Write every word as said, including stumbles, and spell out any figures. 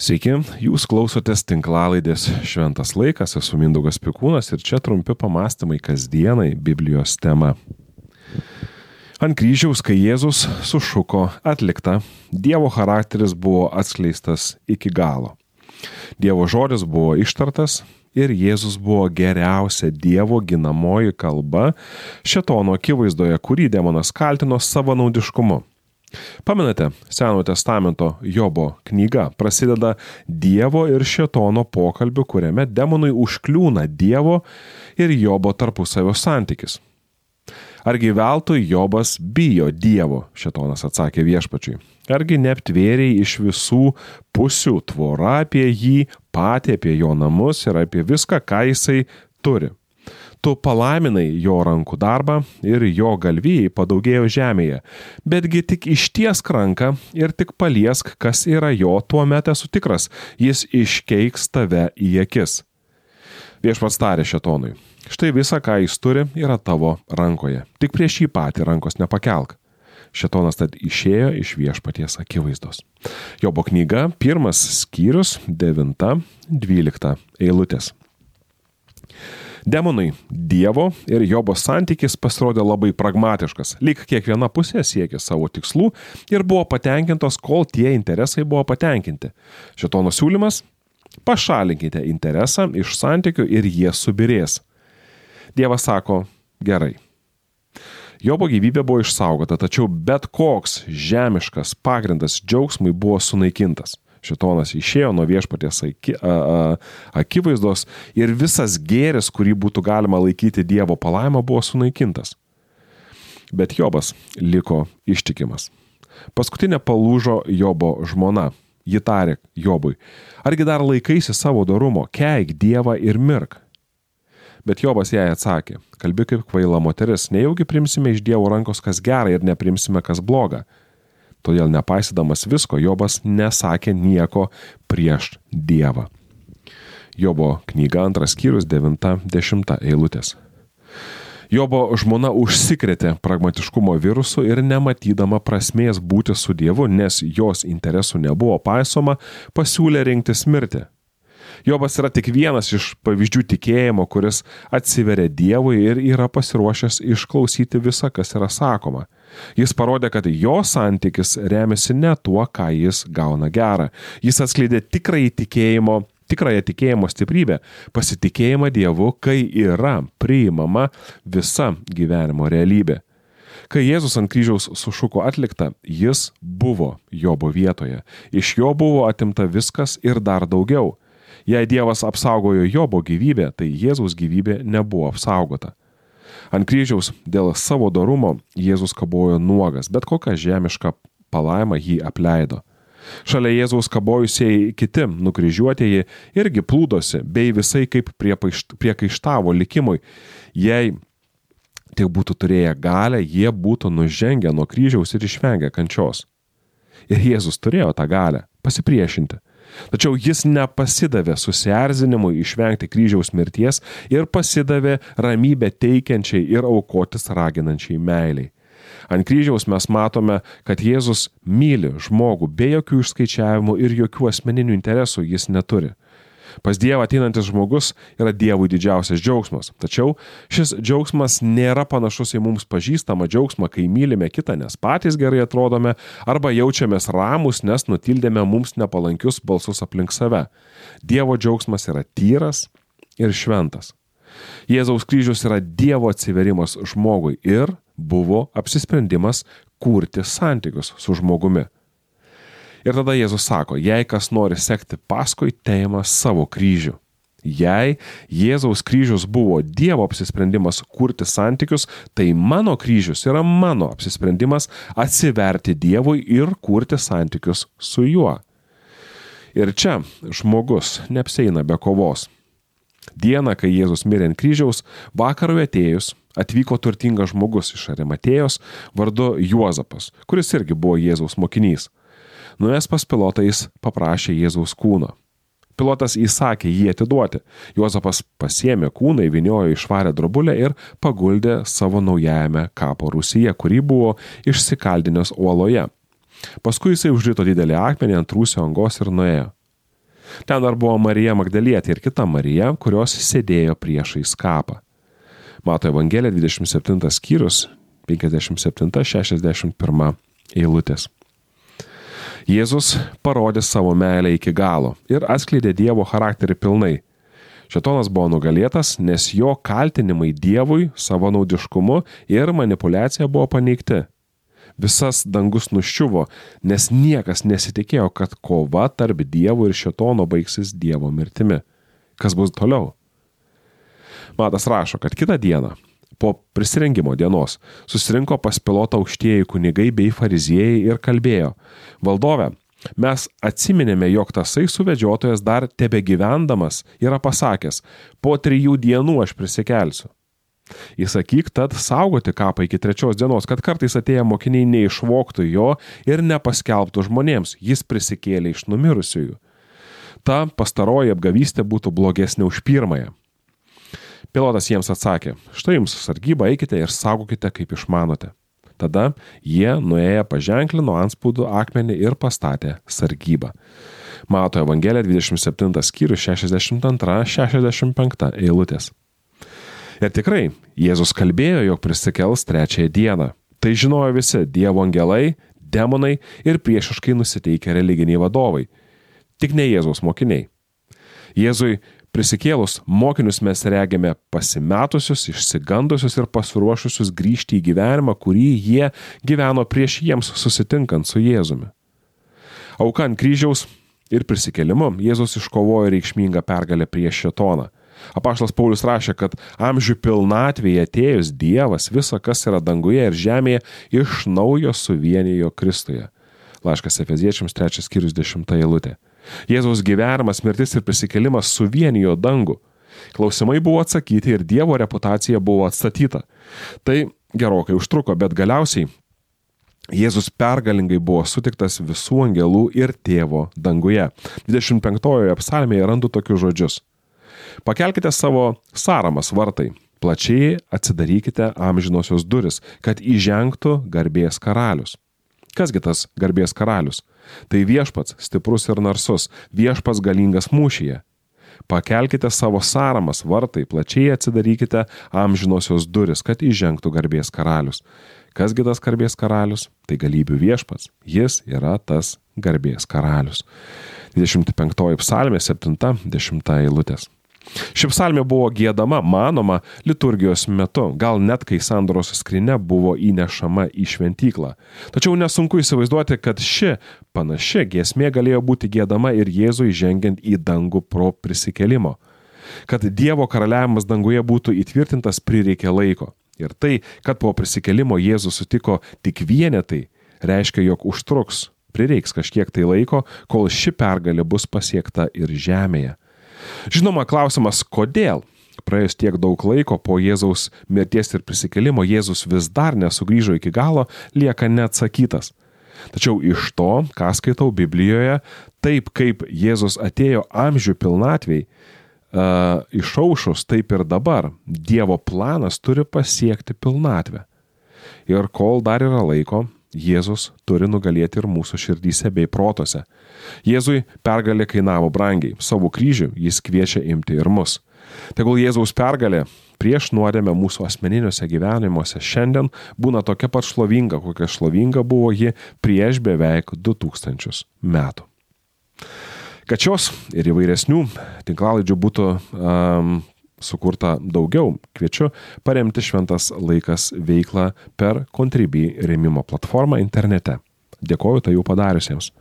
Sveiki, jūs klausotės tinklalaidės Šventas laikas, esu Mindaugas Pikūnas ir čia trumpi pamastymai kasdienai Biblijos tema. Ant kryžiaus, kai Jėzus sušuko atlikta, Dievo charakteris buvo atskleistas iki galo. Dievo žodis buvo ištartas ir Jėzus buvo geriausia Dievo ginamoji kalba šėtono akivaizdoje, kurį demonas kaltino savanaudiškumu. Pamenate, Senojo testamento Jobo knyga prasideda Dievo ir šėtono pokalbiu, kuriame demonui užkliūna Dievo ir Jobo tarpusavio santykis. Argi veltui Jobas bijo Dievo, šėtonas atsakė viešpačiui. Argi neaptvėrei iš visų pusių tvora apie jį, patį apie jo namus ir apie viską, ką jisai turi. Tu palaiminai jo rankų darbą ir jo galvijai padaugėjo žemėje, betgi tik ištiesk ranką ir tik paliesk, kas yra jo, tuomet esu tikras, jis iškeiks tave į akis. Viešpats tarė šėtonui, štai visa, ką jis turi, yra tavo rankoje, tik prieš jį patį rankos nepakelk. Šėtonas tad išėjo iš viešpaties akivaizdos. Jobo knyga, pirmas skyrius, devinta, dvylikta eilutės. Demonui Dievo ir Jobo santykis pasirodė labai pragmatiškas, lyg kiekviena pusė siekė savo tikslų ir buvo patenkintos, kol tie interesai buvo patenkinti. Šėtono siūlymas – pašalinkite interesą iš santykių ir jie subirės. Dievas sako – gerai. Jobo gyvybė buvo išsaugota, tačiau bet koks žemiškas pagrindas džiaugsmui buvo sunaikintas. Šėtonas išėjo nuo viešpaties aki, a, a, akivaizdos ir visas gėris, kurį būtų galima laikyti Dievo palaimą, buvo sunaikintas. Bet Jobas liko ištikimas. Paskutinė palūžo Jobo žmona. Ji tarė Jobui, argi dar laikaisi savo dorumo, keik Dievą ir mirk. Bet Jobas jai atsakė, kalbi kaip kvaila moteris, nejaugi primsime iš Dievo rankos kas gera ir neprimsime kas bloga. Todėl nepaisydamas visko, Jobas nesakė nieko prieš Dievą. Jobo knyga, antras skyrius, devinta, dešimta eilutės. Jobo žmona užsikrėtė pragmatiškumo virusu ir nematydama prasmės būti su Dievu, nes jos interesų nebuvo paisoma, pasiūlė rinktis mirtį. Jobas yra tik vienas iš pavyzdžių tikėjimo, kuris atsiveria Dievui ir yra pasiruošęs išklausyti visą, kas yra sakoma. Jis parodė, kad jo santykis remiasi ne tuo, ką jis gauna gerą. Jis atskleidė tikrąjį tikėjimo, tikrąją tikėjimo stiprybę, pasitikėjimą Dievu, kai yra priimama visa gyvenimo realybė. Kai Jėzus ant kryžiaus sušuko atlikta, jis buvo Jobo vietoje. Iš jo buvo atimta viskas ir dar daugiau. Jei Dievas apsaugojo Jobo gyvybę, tai Jėzaus gyvybė nebuvo apsaugota. Ant kryžiaus dėl savo dorumo Jėzus kabojo nuogas, bet kokia žemiška palaima jį apleido. Šalia Jėzaus kabojusieji kiti nukryžiuotieji irgi plūdosi, bei visai kaip priekaištavo likimui. Jei tik būtų turėję galę, jie būtų nužengę nuo kryžiaus ir išvengę kančios. Ir Jėzus turėjo tą galę pasipriešinti. Tačiau jis nepasidavė susierzinimui išvengti kryžiaus mirties ir pasidavė ramybę teikiančiai ir aukotis raginančiai meiliai. Ant kryžiaus mes matome, kad Jėzus myli žmogų be jokių išskaičiavimų ir jokių asmeninių interesų jis neturi. Pas Dievą ateinantis žmogus yra Dievui didžiausias džiaugsmas. Tačiau šis džiaugsmas nėra panašus į mums pažįstamą džiaugsmą, kai mylime kitą, nes patys gerai atrodome, arba jaučiamės ramus, nes nutildėme mums nepalankius balsus aplink save. Dievo džiaugsmas yra tyras ir šventas. Jėzaus kryžius yra Dievo atsiverimas žmogui ir buvo apsisprendimas kurti santykius su žmogumi. Ir tada Jėzus sako, jei kas nori sekti paskui, teima savo kryžių. Jei Jėzaus kryžius buvo Dievo apsisprendimas kurti santykius, tai mano kryžius yra mano apsisprendimas atsiverti Dievui ir kurti santykius su juo. Ir čia žmogus neapsieina be kovos. Dieną, kai Jėzus mirė ant kryžiaus, vakarui atėjus, atvyko turtingas žmogus iš Arimatėjos vardu Juozapas, kuris irgi buvo Jėzaus mokinys. Nuėjęs pas Pilotą jis paprašė Jėzaus kūno. Pilotas įsakė jį atiduoti. Juozapas pasiėmė kūną, įvyniojo į švarią drobulę ir paguldė savo naujajame kapo rūsyje, kurį buvo išsikaldinęs uoloje. Paskui jisai užrito didelį akmenį ant rūsio angos ir nuėjo. Ten dar buvo Marija Magdalietė ir kita Marija, kurios sėdėjo priešais kapą. Mato Evangelija dvidešimt septintas skyrius, penkiasdešimt septinta šešiasdešimt pirma eilutės. Jėzus parodė savo meilę iki galo ir atskleidė Dievo charakterį pilnai. Šėtonas buvo nugalėtas, nes jo kaltinimai Dievui savanaudiškumu ir manipuliacija buvo paneigti. Visas dangus nuščiuvo, nes niekas nesitikėjo, kad kova tarp Dievo ir Šėtono baigsis Dievo mirtimi. Kas bus toliau? Matas rašo, kad kitą dieną, po prisirengimo dienos, susirinko pas Pilotą aukštieji kunigai bei fariziejai ir kalbėjo: Valdove, mes atsiminėme, jog tasai suvedžiotojas dar tebe gyvendamas yra pasakęs: po trijų dienų aš prisikelsiu. Įsakyk tad saugoti kapą iki trečios dienos, kad kartais atėję mokiniai neišvogtų jo ir nepaskelbtų žmonėms, jis prisikėlė iš numirusiųjų. Ta pastaroji apgavystė būtų blogesnė už pirmąją. Pilotas jiems atsakė: štai jums sargyba, eikite ir saugokite, kaip išmanote. Tada jie nuėję paženklino antspaudų akmenį ir pastatė sargybą. Mato Evangelija dvidešimt septintas skyrius šešiasdešimt antra šešiasdešimt penkta eilutės. Ir tikrai, Jėzus kalbėjo, jog prisikels trečiąją dieną. Tai žinojo visi Dievo angelai, demonai ir priešiškai nusiteikę religiniai vadovai. Tik ne Jėzaus mokiniai. Jėzui prisikėlus mokinius mes regime pasimetusius, išsigandusius ir pasiruošusius grįžti į gyvenimą, kurį jie gyveno prieš jiems susitinkant su Jėzumi. Auka ant kryžiaus ir prisikėlimu Jėzus iškovojo reikšmingą pergalę prieš Šėtoną. Apaštalas Paulius rašė, kad amžių pilnatvėje atėjus Dievas visa, kas yra danguje ir žemėje, iš naujo suvienijo Kristuje. Laiškas Efeziečiams trečias skyrius dešimta eilutė. Jėzaus gyvenimas, mirtis ir prisikėlimas suvienijo dangų. Klausimai buvo atsakyti ir Dievo reputacija buvo atstatyta. Tai gerokai užtruko, bet galiausiai Jėzus pergalingai buvo sutiktas visų angelų ir Tėvo danguje. dvidešimt penktojoje psalmėje randu tokius žodžius: Pakelkite savo saramas vartai, plačiai atsidarykite amžinosios duris, kad įžengtų garbės karalius. Kasgi tas garbės karalius? Tai viešpats, stiprus ir narsus, viešpats galingas mūšyje. Pakelkite savo saramas vartai, plačiai atsidarykite amžinosios duris, kad įžengtų garbės karalius. Kasgi tas garbės karalius? Tai galybių viešpats. Jis yra tas garbės karalius. dvidešimt penktoji psalmė, septinta dešimta eilutės. Ši psalmė buvo giedama, manoma, liturgijos metu, gal net kai sandoros skrynia buvo įnešama į šventyklą. Tačiau nesunku įsivaizduoti, kad ši panaši giesmė galėjo būti giedama ir Jėzui žengiant į dangų pro prisikėlimo. Kad Dievo karaliavimas danguje būtų įtvirtintas, prireikė laiko. Ir tai, kad po prisikėlimo Jėzus sutiko tik vienetai, reiškia, jog užtruks, prireiks kažkiek tai laiko, kol ši pergalė bus pasiekta ir žemėje. Žinoma, klausimas, kodėl praėjus tiek daug laiko po Jėzaus mirties ir prisikėlimo Jėzus vis dar nesugrįžo iki galo, lieka neatsakytas. Tačiau iš to, ką skaitau Biblijoje, taip kaip Jėzus atėjo amžių pilnatvėj, uh, išaušus, taip ir dabar Dievo planas turi pasiekti pilnatvę. Ir kol dar yra laiko, Jėzus turi nugalėti ir mūsų širdyse bei protose. Jėzui pergalė kainavo brangiai, savo kryžių jis kviečia imti ir mus. Tegul Jėzaus pergalė prieš nuodėmę mūsų asmeniniuose gyvenimuose šiandien būna tokia pat šlovinga, kokia šlovinga buvo ji prieš beveik du tūkstančius metų. Kad šios ir įvairesnių tinklalaidžių būtų um, sukurta daugiau, kviečiu paremti Šventas laikas veiklą per Contribui rėmimo platformą internete. Dėkoju tai jau padariusiems.